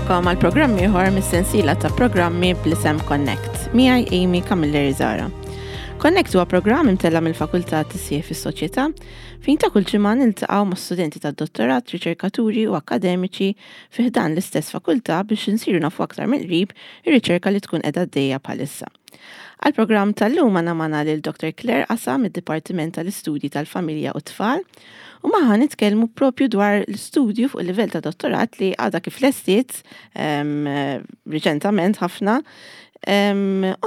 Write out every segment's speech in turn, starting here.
Nilqakom għal programm ieħor mis-sensiela ta' programmi bl-isem Connect. Miegħi Amy Camilleri Zara. Connect huwa programm imtella' mill-Fakultà Tisjieħ fis-Soċjetà fejn ta' kull ġimgħa niltaqgħu ma' studenti tad-dottorat, riċerkaturi u akkademiċi fi ħdan l-istess fakultà biex insiru nafu aktar mill-qrib ir-riċerka li tkun qiegħda għaddejja bħalissa. Għall-programm tal-lum għandna magħna lil Dr. Claire Asa mid-Dipartiment tal-Istudji tal-Familja u t-Tfal u magħha nitkellmu propju dwar l-istudju fuq il-livell ta' dottorat li għadha kif lestiet riċentament ħafna u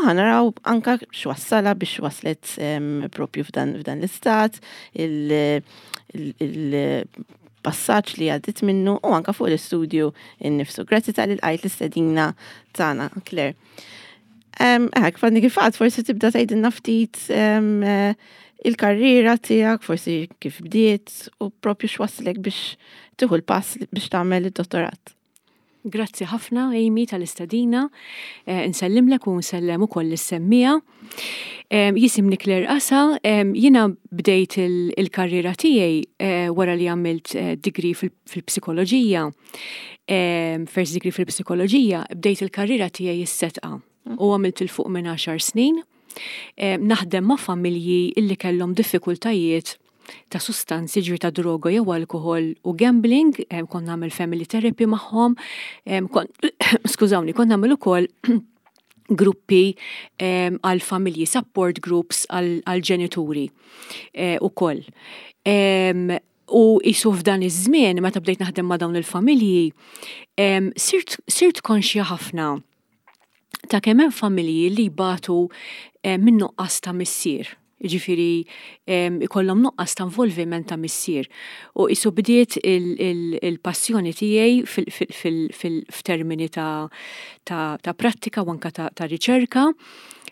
ħanaraw anka x'wassalha biex waslet propju f'dan l-istat, il-passaġġ li għaddit minnu u anka fuq l-istudju innifsu. Grazzi tal lqajt l-istedina tagħna, Claire. Ek, fanni kif għad, forsi tibda tgħidilna ftit il-karriera tiegħek, forsi kif bdiet u propju x'waslek biex tieħu l-pass biex tagħmel id-dottorat. Grazzi ħafna, Amy, tal-istedina. Eh, nsellimlek u nsellem ukoll lis-semmija. Jisimni Claire Asa, jiena bdejt il-karriera tiegħi eh, wara li għamilt eh, degree fil-psikoloġija. First degree fil-psikoloġija, bdejt il-karriera tiegħi is-setqa u għamilt il fuq minn 10 snin. Naħdem ma' familji illi kellhom diffikultajiet ta' sustanzi ġri ta' droga jew alkohol u gambling, kont nagħmel family therapy magħhom, skużawni, kont nagħmel ukoll gruppi għal familji, support groups għal ġenituri eh, ukoll. U qisu f'dan iż-żmien meta bdejt naħdem ma' dawn il-familji, sirt, sirt konxja ħafna ta' kemm hemm familji li jbatu minn nuqqas ta' missier. Jiġifieri ikollhom nuqqas ta' involviment ta' missier. U qisu bdiet il-passjoni tiegħi f'termini ta' prattika u anke ta' riċerka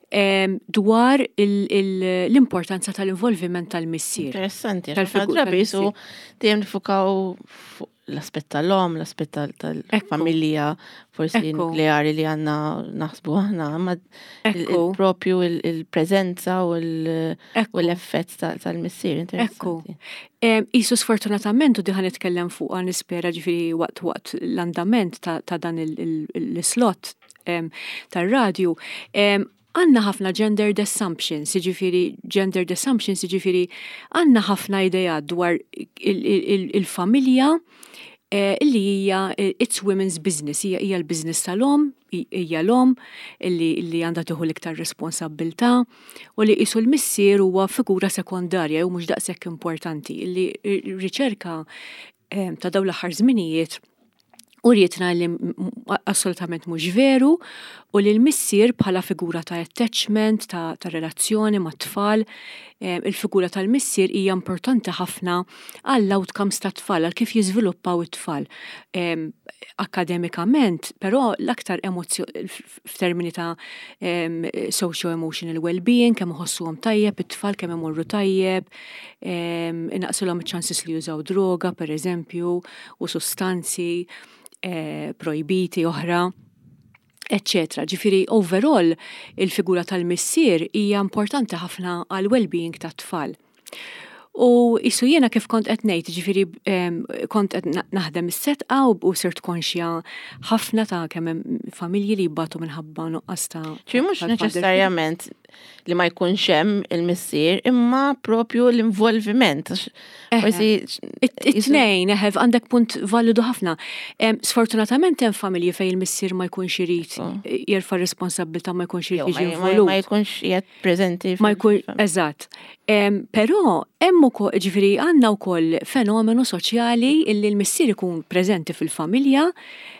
dwar l-importanza tal-involviment tal-missier. Interessanti, għax drabi su dejjem nifukaw fuq l-aspett tal-om, l-aspett tal-familja, forsi nukleari li għanna naħsbu aħna, ma propju il-prezenza u l-effett tal-missier. Ekku. Isu sfortunatament u diħan nitkellem fuq għan nispera ġifiri waqt waqt l-andament ta' dan l-slot tar-radju, għandna ħafna gendered assumptions, jiġifieri gendered assumptions jiġifieri għandna ħafna ideat dwar il-familja eh, illi hija eh, it's women's business, hija hija l-business tal-om, hija l-om illi għandha tieħu l-iktar responsabbiltà u li qisu l-missier huwa figura sekondarja jew mhux daqshekk importanti illi riċerka eh, ta' dawn l-aħħar żminijiet urietna li assolutament mhux veru u li l-missier bħala figura ta' attachment, ta', ta relazzjoni mat tfal, eh, il-figura tal-missier hija importanti ħafna għall-outcomes ta' tfal, għal kif jiżviluppaw it-tfal. Eh, akademikament, però l-aktar f'termini ta' socio-emotional well-being, kemm iħossuhom tajjeb, it-tfal kemm imorru tajjeb, inaqsulhom iċ-ċansis li jużaw droga, per eżempju, u sustanzi eh, projbiti oħra eccetera. Ġifiri, overall, il-figura tal-missier hija importanti ħafna għal well-being tat-tfal. U isu jiena kif kont qed ngħid, ġifieri kont qed naħdem is-setqa u sirt konxja ħafna ta' kemm hemm familji li jibbatu minħabba nuqqas ta' Ġifieri mhux neċessarjament li ma jkunx hemm il-missier, imma propju l-involviment. Forsi it-tnejn, eħe, għandek punt validu ħafna. Sfortunatament hemm familji fejn il-missier ma jkunx irid oh. jerfa' responsabbiltà ma jkunx irid jiġi involut. Ma jkunx qiegħed preżenti. Ma jkun, eżatt. Però hemm ukoll, ġifieri għandna wkoll fenomenu soċjali illi l-missier ikun preżenti fil-familja,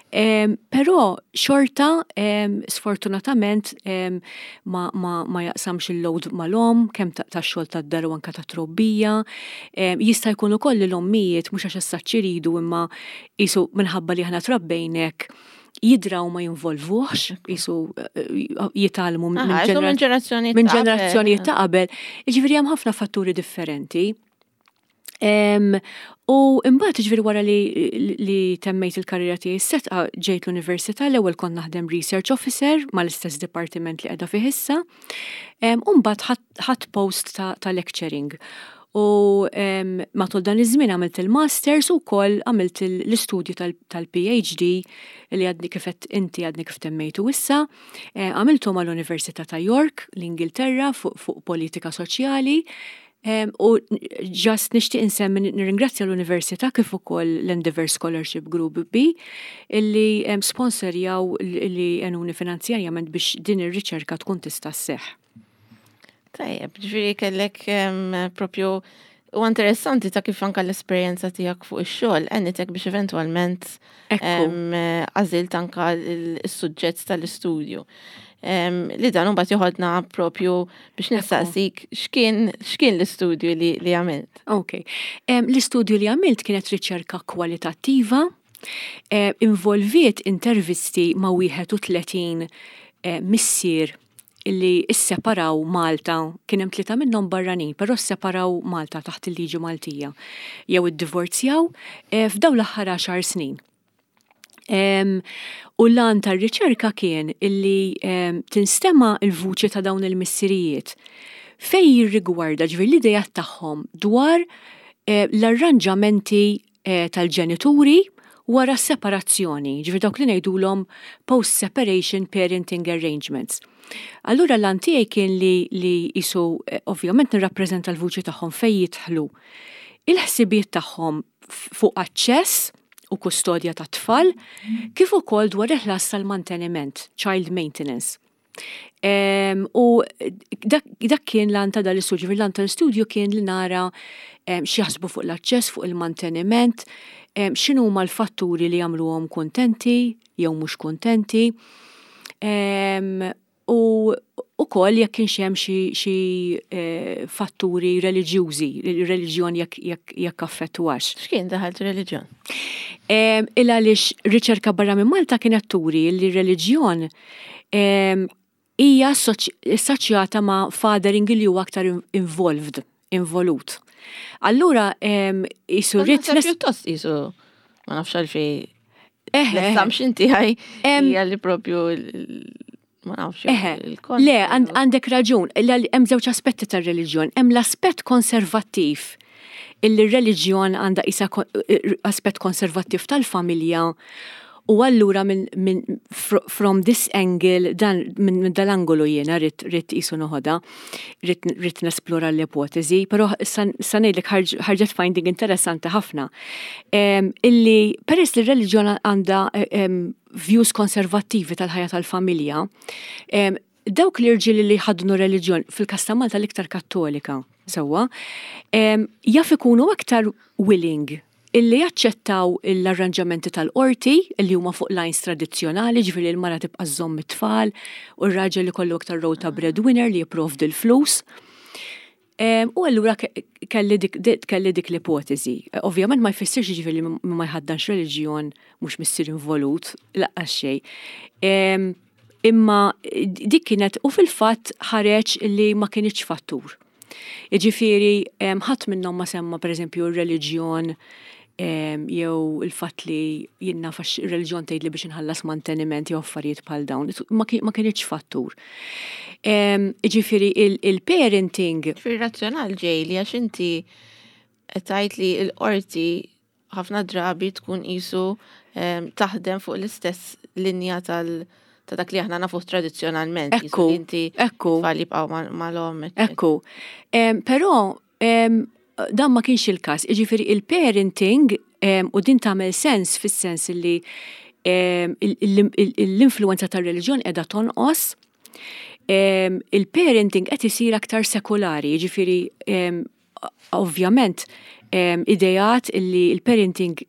però xorta sfortunatament ma, ma, ma jaqsamx il-load mal-om, kemm tax-xogħol tad-dar u anke tat-trobbija. Jista' jkun ukoll li l-ommijiet mhux għax issa iridu imma qisu minħabba li aħna trabbejnek jidraw ma jinvolvuhx, jisu eh, jitalmu minn ġenerazzjoni minn ġenerazzjoni ta' qabel. Jiġifieri hemm ħafna fatturi differenti. U imbagħad ġifieri wara li, li temmejt il-karriera tiegħi setqa ġejt l-università l-ewwel kont naħdem research officer mal-istess dipartiment li qiegħda fih issa. U mbagħad ħadd post ta', ta lecturing. U matul dan iż-żmien għamilt il-masters u wkoll għamilt l-istudju tal-PhD li għadni kif inti għadni kif temmejtu issa. Eh, għamiltu mal-Università ta' York, l-Ingilterra, fuq politika soċjali. U ġast nixtieq insemmi nirringrazzja l-Università kif ukoll l-Endeavour Scholarship Group B illi sponsorjaw li għenuni finanzjarjament biex din ir-riċerka tkun tista' sseħħ. Tajjeb, ġifieri kellek propju u interessanti ta' kif anka l-esperjenza tiegħek fuq ix-xogħol għenitek biex eventwalment għażilt anka s-suġġett tal-istudju. Li dan mbagħad joħodna propju biex nistaqsik x'kien x'kien l-istudju li, li għamilt. Ok. L-istudju li għamilt kienet riċerka kwalitattiva, involviet intervisti ma' 31 eh, missier li sseparaw Malta, kien hemm tlieta minnhom barranin, però sseparaw Malta taħt il-liġi Maltija jew iddivorzjaw eh, f'dawn l-aħħar għaxar snin. U l-għan tar-riċerka kien illi tinstema' l-vuċi ta' dawn il-missirijiet fejn jirrigwarda ġifieri l-ideat tagħhom dwar eh, l-arranġamenti eh, tal-ġenituri wara s-separazzjoni, ġifieri dawk li ngħidulhom post-separation parenting arrangements. Allura l-għan tiegħi kien li li jisu eh, ovvjament nirrappreżenta l-vuċi tagħhom fejn jidħlu il-ħsibijiet tagħhom fuq aċċess u kustodja tat-tfal, kif ukoll dwar il-ħlas tal-manteniment, child maintenance. U dak kien l-għan ta' dal-istudju, l-għan tal-istudju kien li nara x'jaħsbu fuq l-aċċess, fuq il-manteniment, x'inhuma l-fatturi li jagħmluhom kuntenti jew mhux kuntenti. U ukoll jekk kienx hemm xi eh, fatturi reliġjużi, reliġjon jekk affettwax. X'kien daħalt reliġjon? Il għaliex riċerka barra minn Malta kienet turi li reliġjon hija assoċjata ma' fathering li huwa aktar involved, involut. Allura jisu rrit. Pjuttost jisu ma nafx għalfej. L-assumption tiegħi hija li propju ma nafx. Le, għandek raġun, hemm żewġ aspetti tar-reliġjon. Hemm l-aspett konservattiv illi r-reliġjon għandha isa aspett konservattiv tal-familja u allura minn min, from this angle dan minn dal-angolu jiena rrid rrid qisu noħodha, rrid rrid nesplora l-ipotezi, però sa ngħidlek ħarġet finding interessanti ħafna. Illi peress li r-reliġjon għandha views konservattivi tal-ħajja tal-familja, dawk l-irġiel li jħaddnu reliġjon, fil-każ ta' Malta l-iktar Kattolika, sewwa, jaf ikunu aktar willing illi jaċċettaw l-arranġamenti tal-qorti illi huma fuq lines tradizzjonali, ġifieri l-mara tibqa' żżomm it-tfal u r-raġel ikollu aktar role ta' breadwinner li jipprovdi l-flus. U allura kelli dik, kelli dik l-ipoteżi. Ovvjament ma jfissirx ġifieri li ma jħaddanx reliġjon mhux missier involut, laqqas xejn. Imma dik kienet u fil-fatt ħareġ li ma kinitx fattur. Jiġifieri ħadd minnhom ma semma pereżempju r-reliġjon jew il-fatt li jien naf għax ir-reliġjon tgħidli biex inħallas manteniment jew affarijiet bħal dawn, ma kinitx fattur. Jiġifieri il-parenting. Ġifieri razzjonal ġej li għax inti qed tgħid li l-qorti ħafna drabi tkun qisu taħdem fuq l-istess linja tal- ta' dak li aħna nafuh tradizzjonalment. Ekku, inti ekku. Tfal jibqgħu mal-omm. Ekku. Però dan ma kienx il-każ. Jiġifieri il-parenting u din tagħmel sens fis-sens li l-influenza tar-reliġjon qiegħda tonqos. Il-parenting qed isir aktar sekulari, jiġifieri ovvjament ideat li l-parenting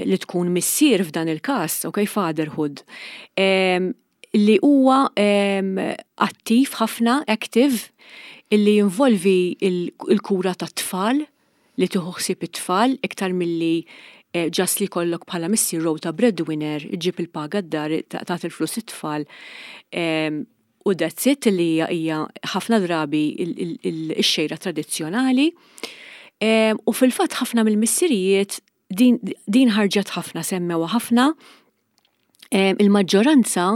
li tkun missier f'dan il-każ, ok, fatherhood, li huwa attiv ħafna, active, illi jinvolvi l-kura tat-tfal, li tieħu ħsieb it-tfal iktar milli just li jkollok bħala missier role ta' breadwinner, iġġib il-paga d-dar, tagħti l-flus it-tfal u that's it li hija hija ħafna drabi x-xejra tradizzjonali. U fil-fatt ħafna mill-missirijiet din ħarġet ħafna, semmewha ħafna. Il-maġġoranza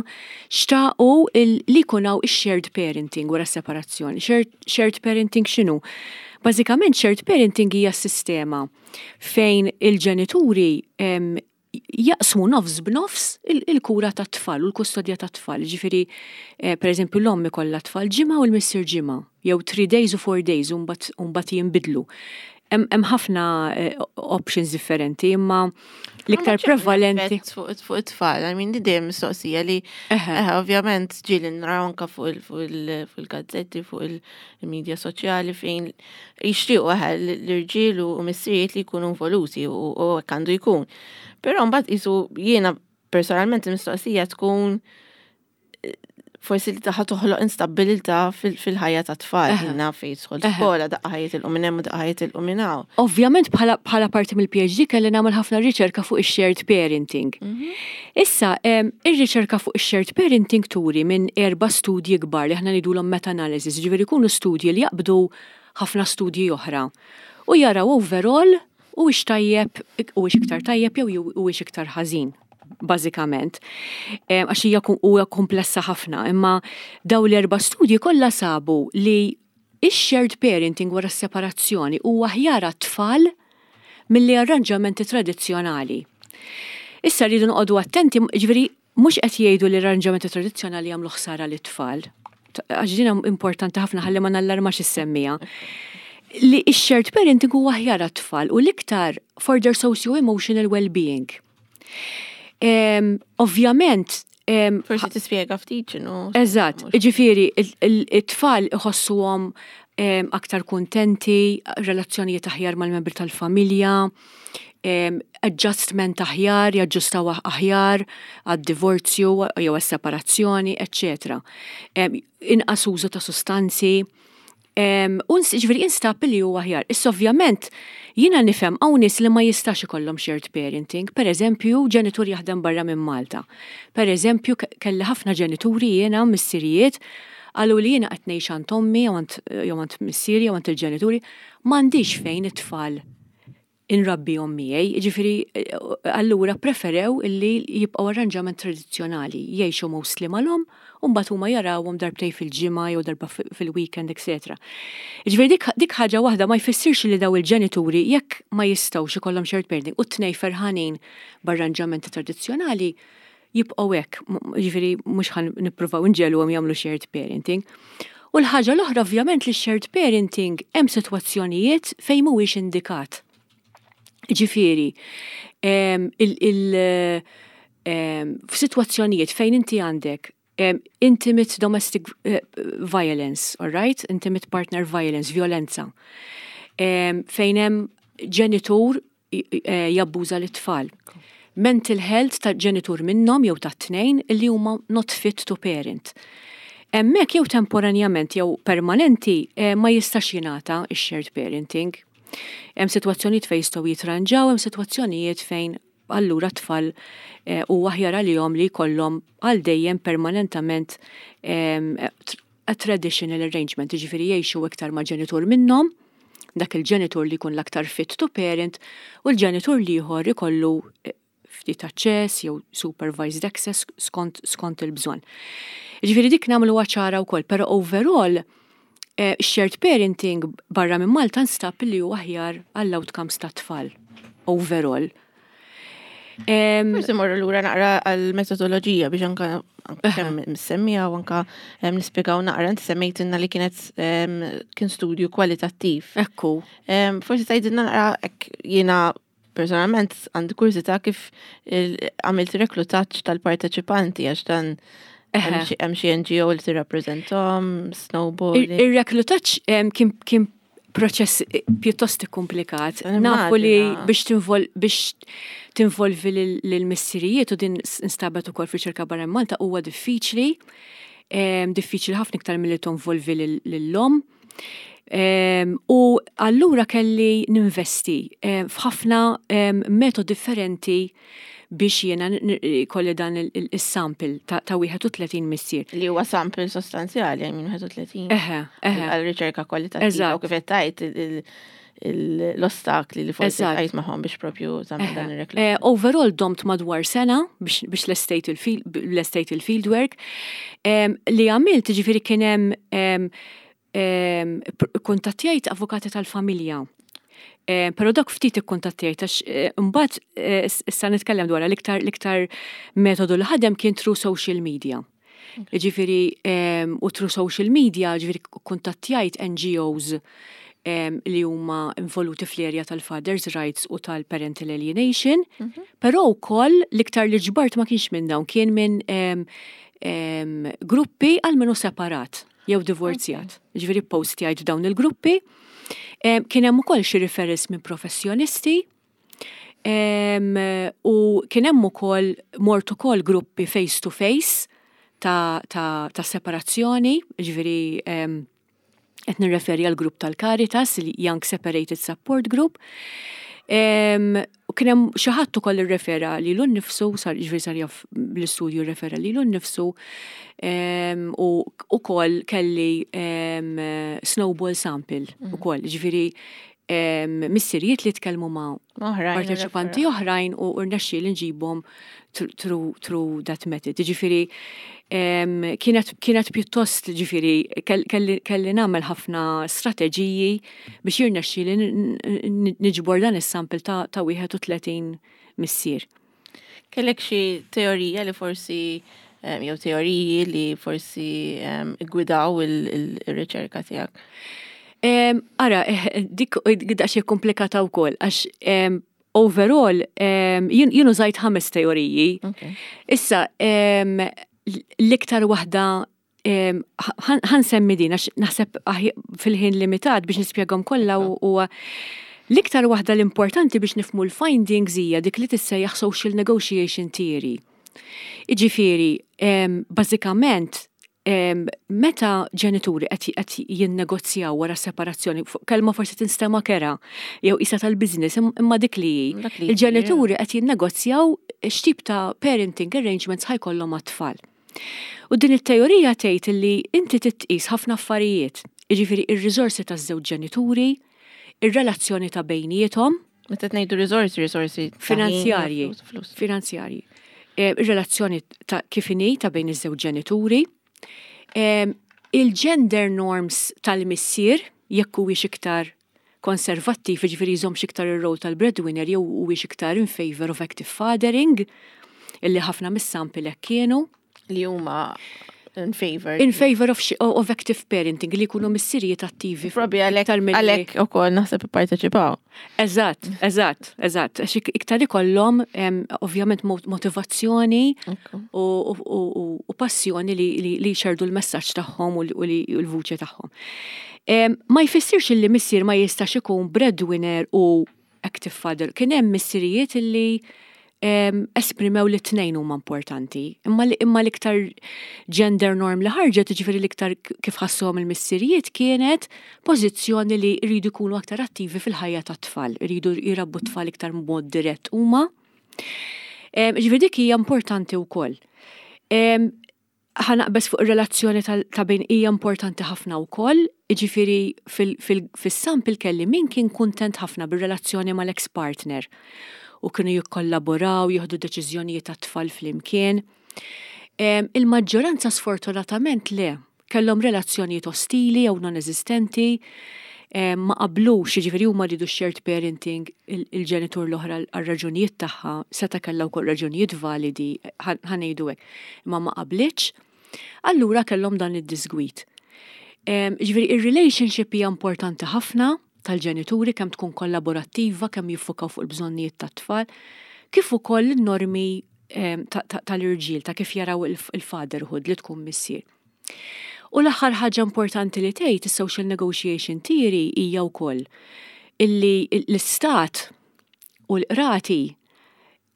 xtaqu li jkun hawn ix-shared parenting wara s-separazzjoni. Shared parenting x'inhu? Bażikament shared parenting hija sistema fejn il-ġenituri jaqsmu nofs b'nofs il-kura tat-tfal u l-kustodja tat-tfal. Ġifieri, pereżempju, l-omm ikollha tfal ġimgħa u l-missier ġimgħa, jew 3 days u 4 days u mbagħad jinbidlu. Hemm ħafna options differenti, imma l-iktar prevalenti. Fuq it-tfal, I mean, di dejjem mistoqsija li ovvjament ġieli naraw anka fuq il-gazzetti, fuq il-medja soċjali fejn jixtiequ l-irġiel u missirijiet li jkunu involuti u hekk għandu jkun. Però mbagħad qisu jiena personalment il-mistoqsija tkun forsi li taħħa toħloq instabilità fil-ħajja ta' tfal, jiena fejn jidħol skola, daqqa ħajjitilqu minn hemm u daqqa ħajjitilqu minn hawn. Ovvjament bħala parti mill-PhD kelli nagħmel ħafna riċerka fuq ix-shared parenting. Issa, ir-riċerka fuq ix-shared parenting turi minn erba' studji kbar li aħna ngħidulhom meta-analysis, jiġifieri jkunu studji li jaqbdu ħafna studji oħra u jaraw overall huwiex tajjeb, huwiex iktar tajjeb jew huwiex iktar ħażin, bażikament. Għax hija huwa komplessa ħafna, imma daw l-erba' studji kollha sabu li ix-shared parenting wara s-separazzjoni huwa aħjar għat-tfal milli arranġamenti tradizzjonali. Issa rridu noqogħdu attenti, ġifieri mhux qed jgħidu li l-arranġamenti tradizzjonali jagħmlu ħsara lit-tfal. Għax din importanti ħafna ħalli ma nallarmax is-semmiegħa. Li x-shared parenting huwa aħjar għat-tfal u l-iktar for their socio-emotional well-being. Ovvjament, Forsi tispjega ftit x'inhu. Eżatt, ġifieri it-tfal iħossuhom aktar kuntenti, relazzjonijiet aħjar mal-membri tal-familja, adjustment aħjar, jaġġustaw aħjar għad-divorzju jew għas-separazzjoni, eċċetera. Inqas użu ta' sustanzi. Ġifieri instab li huwa aħjar. Issa ovvjament jiena nifhem hawn nies li ma jistax ikollhom shared parenting, per eżempju ġenitur jaħdem barra minn Malta. Per eżempju kelli ħafna ġenituri jiena missirijiet qalu li jiena qed ngħix għand ommi jew għand missieri jew għand il-ġenituri, m'għandix fejn it-tfal inrabbihom miegħi, jiġifieri allura ppreferew illi jibqgħu arranġament tradizzjonali, jgħixu mostly mal-omm u mbagħad huma jarawhom darbtejn fil-ġimgħa jew darba fil-weekend etc. Jiġifieri dik dik ħaġa waħda ma jfissirx li dawn il-ġenituri jekk ma jistgħux ikollhom shared parenting u t-tnejn ferħanin b'arranġamenti tradizzjonali jibqgħu hekk, jiġifieri mhux ħa nippruvaw inġegħluhom jagħmlu shared parenting. U l-ħaġa l-oħra ovvjament li shared parenting hemm sitwazzjonijiet fejn mhuwiex indikat. Ġifieri, f'sitwazzjonijiet fejn inti għandek intimate domestic violence, all right? Intimate partner violence, violenza. Fejn hemm ġenitur jabbuża lit-tfal. Mental health ta' ġenitur minnhom jew tat-tnejn li huma not fit to parent. Hemmhekk jew temporanjament jew permanenti ma jistax jingħata x-shared parenting. Hemm sitwazzjonijiet fejn jistgħu jitranġaw, hemm sitwazzjonijiet fejn allura t-tfal huwa aħjar għalihom li jkollhom għal dejjem permanentament a traditional arrangement, jiġifieri jgħixu iktar ma' ġenitur minnhom, dak il-ġenitur li jkun l-aktar fit to parent, u l-ġenitur l-ieħor ikollu ftit aċċess jew supervised access skont, skont il-bżonn. Jiġifieri dik nagħmluha ċara wkoll, però overall shared parenting barra minn Malta nstab li huwa aħjar għall-outcomes tat-tfal overall. Forsi morru lura naqra għal-metodoloġija biex anka kemm semmija u anka nispjegaw naqra inti semmejtilna li kienet kien studju kwalitattiv. Ekku. Forsi tgħidilna naqra hekk jiena personalment għandi kurżità kif għamilt reklutaġġ tal-parteċipanti għax dan hemm xi NGO li tirrappreżentahom, Snowball. Ir-reklutaġġ kien proċess pjuttost ikkumplikat. Nafu li biex biex tinvolvi lill-missirijiet u din instabet ukoll f'riċerka barra Malta huwa diffiċli, diffiċli ħafna iktar milli tinvolvi lill-omm. U allura kelli ninvesti f'ħafna metodi differenti biex jiena kolli dan il-sample ta' 31 missier. Li huwa sample sostanzjali, minn 31. Eħe, eħe. Għal riċerka kwalitattiva u kif qed tgħid l-ostakli li forsi għajt magħhom biex propju tagħmel dan ir-reklam. Eh, overall domt madwar sena biex lestejt il-fieldwork. Li għamilt ġifieri kien hemm kuntattjajt avukati tal-familja. Pero dak ftit ikkuntattjajt għax eh, mbagħad eh, issa nitkellem dwar l-iktar l-iktar metodu li ħadem kien through social media. Ġifieri u through social media, ġifieri kuntattjajt NGOs li huma involuti fl-area tal-Father's Rights u tal-Parental Alienation, mhm. però wkoll l-iktar li ġbart ma kienx minn dawn, kien minn gruppi għal minnu separat jew divorzjat. Ġifieri postjajt f'dawn il-gruppi. Kien hemm ukoll xi referrals minn professjonisti u kien hemm ukoll mort ukoll gruppi face to face ta', ta, ta separazzjoni, ġifieri qed nirreferi għal grupp tal-Caritas, il-Young Separated Support Group. U kien hemm xi ħadd ukoll irrefera lilu nnifsu, sar jiġifieri sar jaf bl-istudju rrefera lilu nnifsu u ukoll kelli snowball sample mhm. ukoll, jiġifieri missirijiet li tkellmu ma' parteċipanti oħrajn u rnexxieli nġibhom through that method. Ġifieri kienet kienet pjuttost ġifieri kelli nagħmel ħafna strateġiji biex jirnexxieli niġbor dan is-sample ta' 31 missier. Kellek xi teorija li forsi jew teoriji li forsi gwidaw il-riċerka tiegħek? Ara, eh, dik daqsxejn komplikata wkoll għax overall jien użajt ħames teoriji. Issa l-iktar waħda ħan semmi din għax naħseb fil-ħin limitat biex nispjegahom kollha u l-iktar waħda l-importanti biex nifmu l-findings hija dik li tissejjaħ social negotiation theory. Iġifieri, bażikament meta ġenituri qed jinnegozjaw wara separazzjoni, kelma forsi tinstema' kera jew isa tal-business, imma dik li hi. Il-ġenituri qed jinnegozjaw x'tip ta' parenting arrangements ħajkollhom għat-tfal. U din it-teorija tgħid li inti titqis ħafna affarijiet, jiġifieri ir-riżorsi taż-żewġ ġenituri, ir-relazzjoni ta' bejniethom. Meta ngħidu riżorsi, riżorsi finanzjarji, finanzjarji. Eh, ir-relazzjoni ta' kif inhi ta' bejn iż-żewġ ġenituri, eh, il-gender norms tal-missier jekk huwiex iktar konservattiv, jiġifieri jżommx iktar ir-role tal-breadwinner jew huwiex iktar in favor of active fathering, illi ħafna mis-sample hekk kienu. Li huma in favor. In favor of, of active parenting, li jkunu missirijiet attivi. Probi għalhekk għalhekk ukoll naħseb ipparteċipaw. Eżatt, eżatt, eżatt. Għax iktar ikollhom ovvjament motivazzjoni u passjoni li jxerdu l-messaġġ tagħhom u l-vuċi tagħhom. Ma jfissirx illi missier ma jistax ikun breadwinner u active father. Kien hemm missirijiet illi esprimew li t-tnejn huma importanti. Imma imma l-iktar gender norm li ħarġet, ġifieri l-iktar kif ħassuhom il-missirijiet kienet pożizzjoni li jridu jkunu aktar attivi fil-ħajja tat-tfal, jridu jrabbu t-tfal iktar b'mod dirett huma. Ġifieri dik hija importanti wkoll. Ħa naqbeż fuq ir-relazzjoni ta' bejn hija importanti ħafna wkoll, jiġifieri fis-sample kelli min kien kuntent ħafna bir-relazzjoni mal-ex partner u kienu jikkollaboraw, jieħdu deċiżjonijiet għat-tfal flimkien. Il-maġġoranza sfortunatament le, kellhom relazzjonijiet ostili jew non-eżistenti, ma qablux, jiġifieri huma riedu shared parenting, il-ġenitur l-oħra għal raġunijiet tagħha, seta' kellha wkoll raġunijiet validi, ħa ngħidu hekk, imma ma qablitx, allura kellhom dan id-disgwid. Jiġifieri ir-relationship hija importanti ħafna tal-ġenituri kemm tkun kollaborattiva, kemm jiffukaw fuq il-bżonnijiet tat-tfal, kif ukoll in-normi tal-irġiel ta' kif jaraw il-fatherhood li tkun missier. U l-aħħar ħaġa importanti li tgħid is-social negotiation theory hija wkoll illi l-istat u l-qrati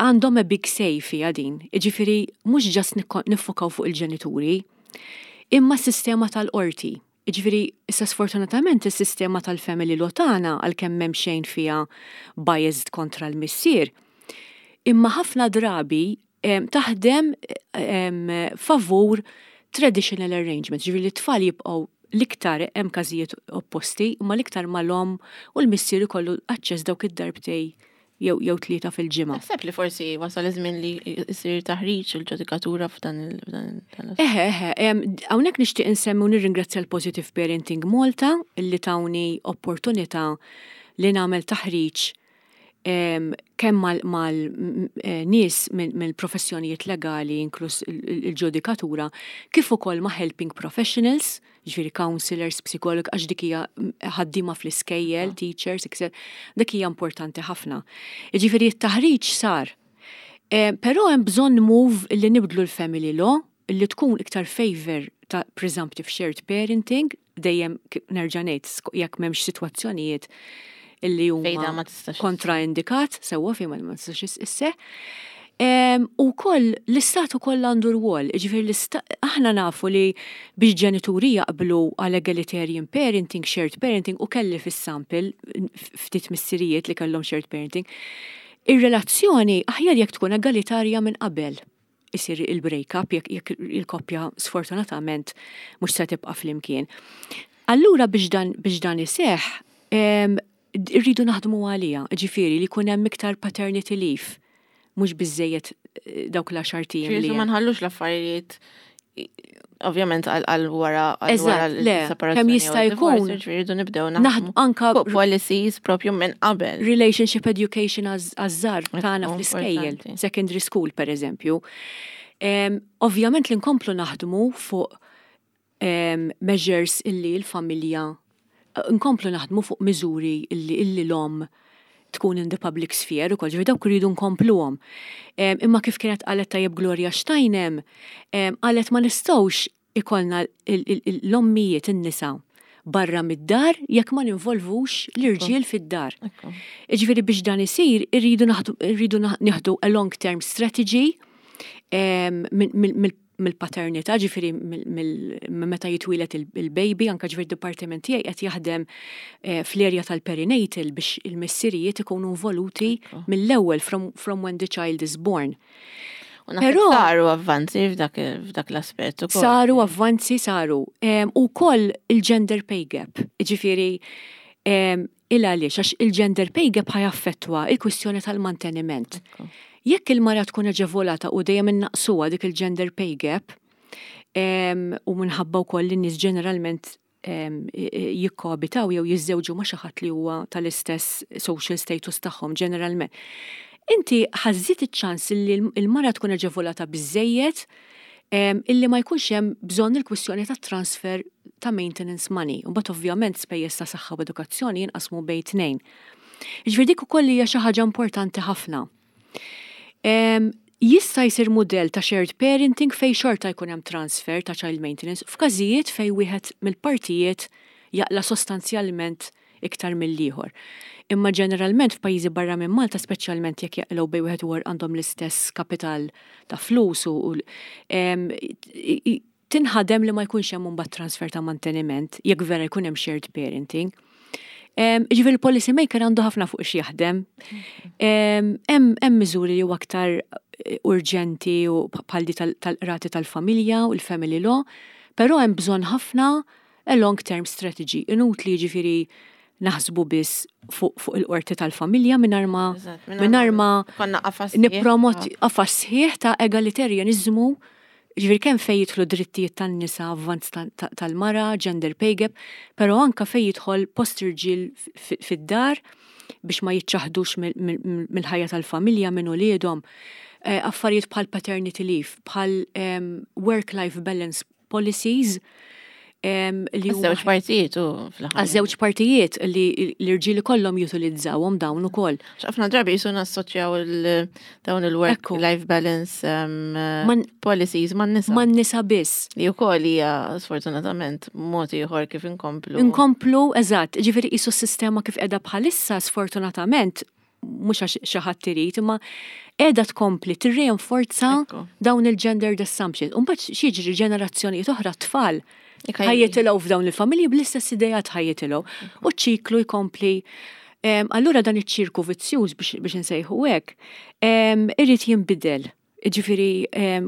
għandhom a big say fiha din. Jiġifieri mhux just niffokaw fuq il-ġenituri, imma s-sistema tal-qorti. Jiġifieri issa sfortunatament is-sistema tal-family law tagħna għalkemm m'hemm xejn fiha biased kontra l-missier, imma ħafna drabi taħdem favur traditional arrangements, ġifieri li t-tfal jibqgħu L-iktar hemm każijiet opposti, imma l-iktar mal-omm u l-missier ikollu aċċess dawk id-darbtej jew jew tlieta fil-ġimgħa. Taħseb li forsi wasal iż-żmien li jsir taħriġ il-ġudikatura f'dan il Eħe, eħe, hawnhekk nixtieq insemmi u nirringrazzja l-Positive Parenting Malta li tawni opportunità li nagħmel taħriġ kemm mal-nies mill-professjonijiet legali inkluż il-ġudikatura kif ukoll ma' helping professionals, ġifieri counselors, psikolog, għax dik hija ħaddiema fl-iskejjel, teachers, etc. Dik hija importanti ħafna. Ġifieri t-taħriġ sar. Però hemm bżonn move li nibdlu l-family law li tkun iktar favor ta' presumptive shared parenting, dejjem nerġa' ngħid jekk m'hemmx sitwazzjonijiet illi huma kontraindikat, sewwa fejn ma tistax isseħ. U koll l-istat ukoll għandu rwol, ġifieri aħna nafu li biex ġenituri jaqblu għal egalitarian parenting, shared parenting, u kelli fis-sample ftit missirijiet li kellhom shared parenting, ir-relazzjoni aħjar jekk tkun egalitarja minn qabel isir il-break-up jekk il-koppja sfortunatament mhux se tibqa' flimkien. Allura biex dan biex dan iseħħ irridu naħdmu għaliha, ġifieri li jkun hemm iktar paternity leave, mhux biżejjed eh, dawk l-għaxar ijiem. Li ma nħallux l-affarijiet ovvjament għal wara għal wara l-separazzjoni. Kemm jista' jkun. Ġifieri nibdew naħdmu anka policies propju minn qabel. Relationship education għaż-żgħar tagħna fl-iskejjel, secondary school per eżempju. Ovvjament li nkomplu naħdmu fuq measures illi l-familja nkomplu naħdmu fuq miżuri illi illi l-omm tkun in the public sphere ukoll, ġifieri dawk irridu nkompluhom. Imma kif kienet qalet tajjeb Gloria Steinem, qalet ma nistgħux ikollna l-ommijiet in-nisa barra mid-dar jekk ma ninvolvux l-irġiel fid-dar. Ġifieri biex dan isir irridu nieħdu a long term strategy mill-paternità, ġifieri minn meta jitwieled il-baby, anke ġifieri d-dipartiment tiegħi qed jaħdem eh, fl-erja tal-perinatal biex il-missirijiet ikunu involuti mill-ewwel from, from when the child is born. Però saru avvanzi f'dak l-aspett ukoll. Saru avvanzi saru. U koll il-gender pay gap, ġifieri Il għaliex? Għax il-gender pay gap ħa jaffettwa il-kwistjoni tal-manteniment. Jekk il-mara tkun aġevolata u dejjem innaqqsuha dik il-gender pay gap, u minħabba wkoll li n-nies ġeneralment jikkoabitaw jew jiżżewġu ma' xi ħadd li huwa tal-istess social status tagħhom ġeneralment. Inti ħa żżid iċ-ċans li l-mara tkun aġevolata biżżejjed illi ma jkunx hemm bżonn il-kwistjoni ta' transfer ta' maintenance money. U mbagħad ovvjament spejjeż ta' saħħa u edukazzjoni jinqasmu bejn tnejn. Jiġifieri dik ukoll hija xi ħaġa importanti ħafna. Jista' jsir mudell ta' shared parenting fejn xorta jkun hemm transfer ta' child maintenance f'każijiet fejn wieħed mill-partijiet jaqla' sostanzjalment iktar mill-ieħor. Imma ġeneralment f'pajjiżi barra minn Malta, speċjalment jekk jaqilgħu bejn wieħed u ieħor għandhom l-istess kapital ta' flus u tinħadem li ma jkunx hemm imbagħad transfer ta' manteniment jekk vera jkun hemm shared parenting. Ġifieri il-policy maker għandu ħafna fuq x'jaħdem. Hemm miżuri li huwa aktar eh, urġenti u bħal di tal-qrati tal-familja u l-family law, però hemm bżonn ħafna a long term strategy. Inutli jiġifieri naħsbu biss fuq fu il-qorti tal-familja mingħajr ma mingħajr ma nippromoti qafas sħiħ ta' egalitarianizmu ġifieri kemm fejn jidħlu drittijiet tan-nisa, avvanz tal-mara, gender pay gap, però anka fejn jidħol post irġiel fid-dar biex ma jiċċaħdux mill-ħajja tal-familja minn uliedhom. Eh, affarijiet bħal paternity leave, bħal ehm, work-life balance policies li Żewġ partijiet u fl-aħħar. Għaż-żewġ partijiet li l-irġiel ikollhom jutilizzawhom dawn ukoll. Ħafna drabi jisu nassoċjaw dawn il-work life balance policies man nisa. Man nisa biss. Li wkoll hija sfortunatament mod ieħor kif inkomplu. Inkomplu, eżatt, ġifieri qisu s-sistema kif qiegħda bħalissa sfortunatament mhux għax xi ħadd irid, imma qiegħda tkompli tirreinforza dawn il-gendered assumptions. U mbagħad x'jiġri ġenerazzjonijiet oħra tfal ħajjitilgħu f'dawn il-familji bl-istess ideat ħajjitilgħu. U ċ-ċiklu jkompli. Allura dan iċ-ċirku vizzjuż biex insejħu hekk, irid jinbidel. Ġifieri,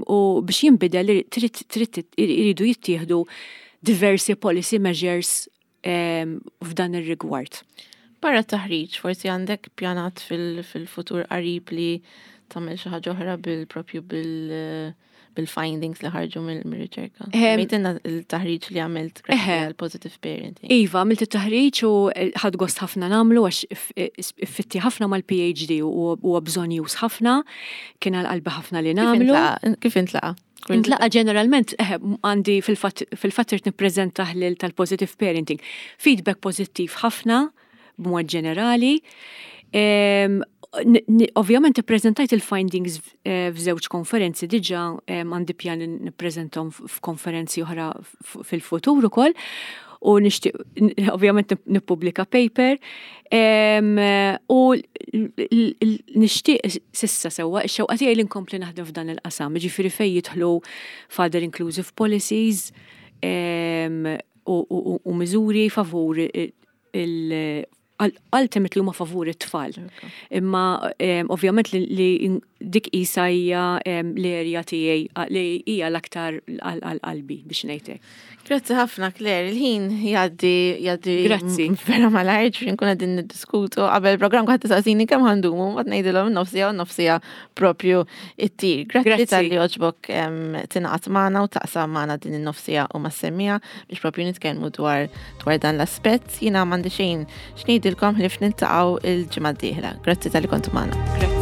u biex jinbidel trid iridu jittieħdu diversi policy measures f'dan ir-rigward. Barra taħriġ, forsi għandek pjanat fil-futur qarib li tagħmel xi ħaġa oħra bil-propju bil- bil-findings li ħarġu mill-riċerka. Mejtinna il-taħriġ li għamilt għal positive parenting. Iva, għamilt it-taħriġ u eh, ħad gost ħafna namlu għax fitti ħafna mal-PhD u huwa bżonn jus ħafna, kien għal qalbi ħafna li namlu. Kif intlaqa? Intlaqa ġeneralment, eh, għandi fil-fatt irid nippreżenta ħlil tal-positive parenting. Feedback pożittiv ħafna, b'mod ġenerali. Ovvjament ippreżentajt il-findings eh, f'żewġ konferenzi diġà għandi pjan nippreżentom f'konferenzi oħra fil-futur ukoll u nixtieq ovvjament nippubblika paper u nixtieq sissa sewwa x-xewqa tiegħi li nkompli naħdem f'dan il-qasam, ġifieri fejn jidħlu father inclusive policies u miżuri favur il ultimately huma favur it-tfal. Imma ovvjament li dik isa hija l-erja tiegħi li hija l-aktar għal qalbi biex ngħidlek. Grazzi ħafna Claire, il-ħin jgħaddi jgħaddi Grazzi. Vera malajr ġifieri nkun qegħdin niddiskutu qabel programm kont tisaqsini kemm ħandumu, ma ngħidilhom nofsija u nofsija propju it-tir. Grazzi tal-li oġbok tingħaqad magħna u taqsam magħna din in-nofsija u mas-semmija biex propju nitkellmu dwar dwar dan l-aspett. Jiena m'għandi xejn x'ngħidilkom ħlief niltaqgħu il-ġimgħa d-dieħla. Grazzi talli kontu magħna. Grazzi.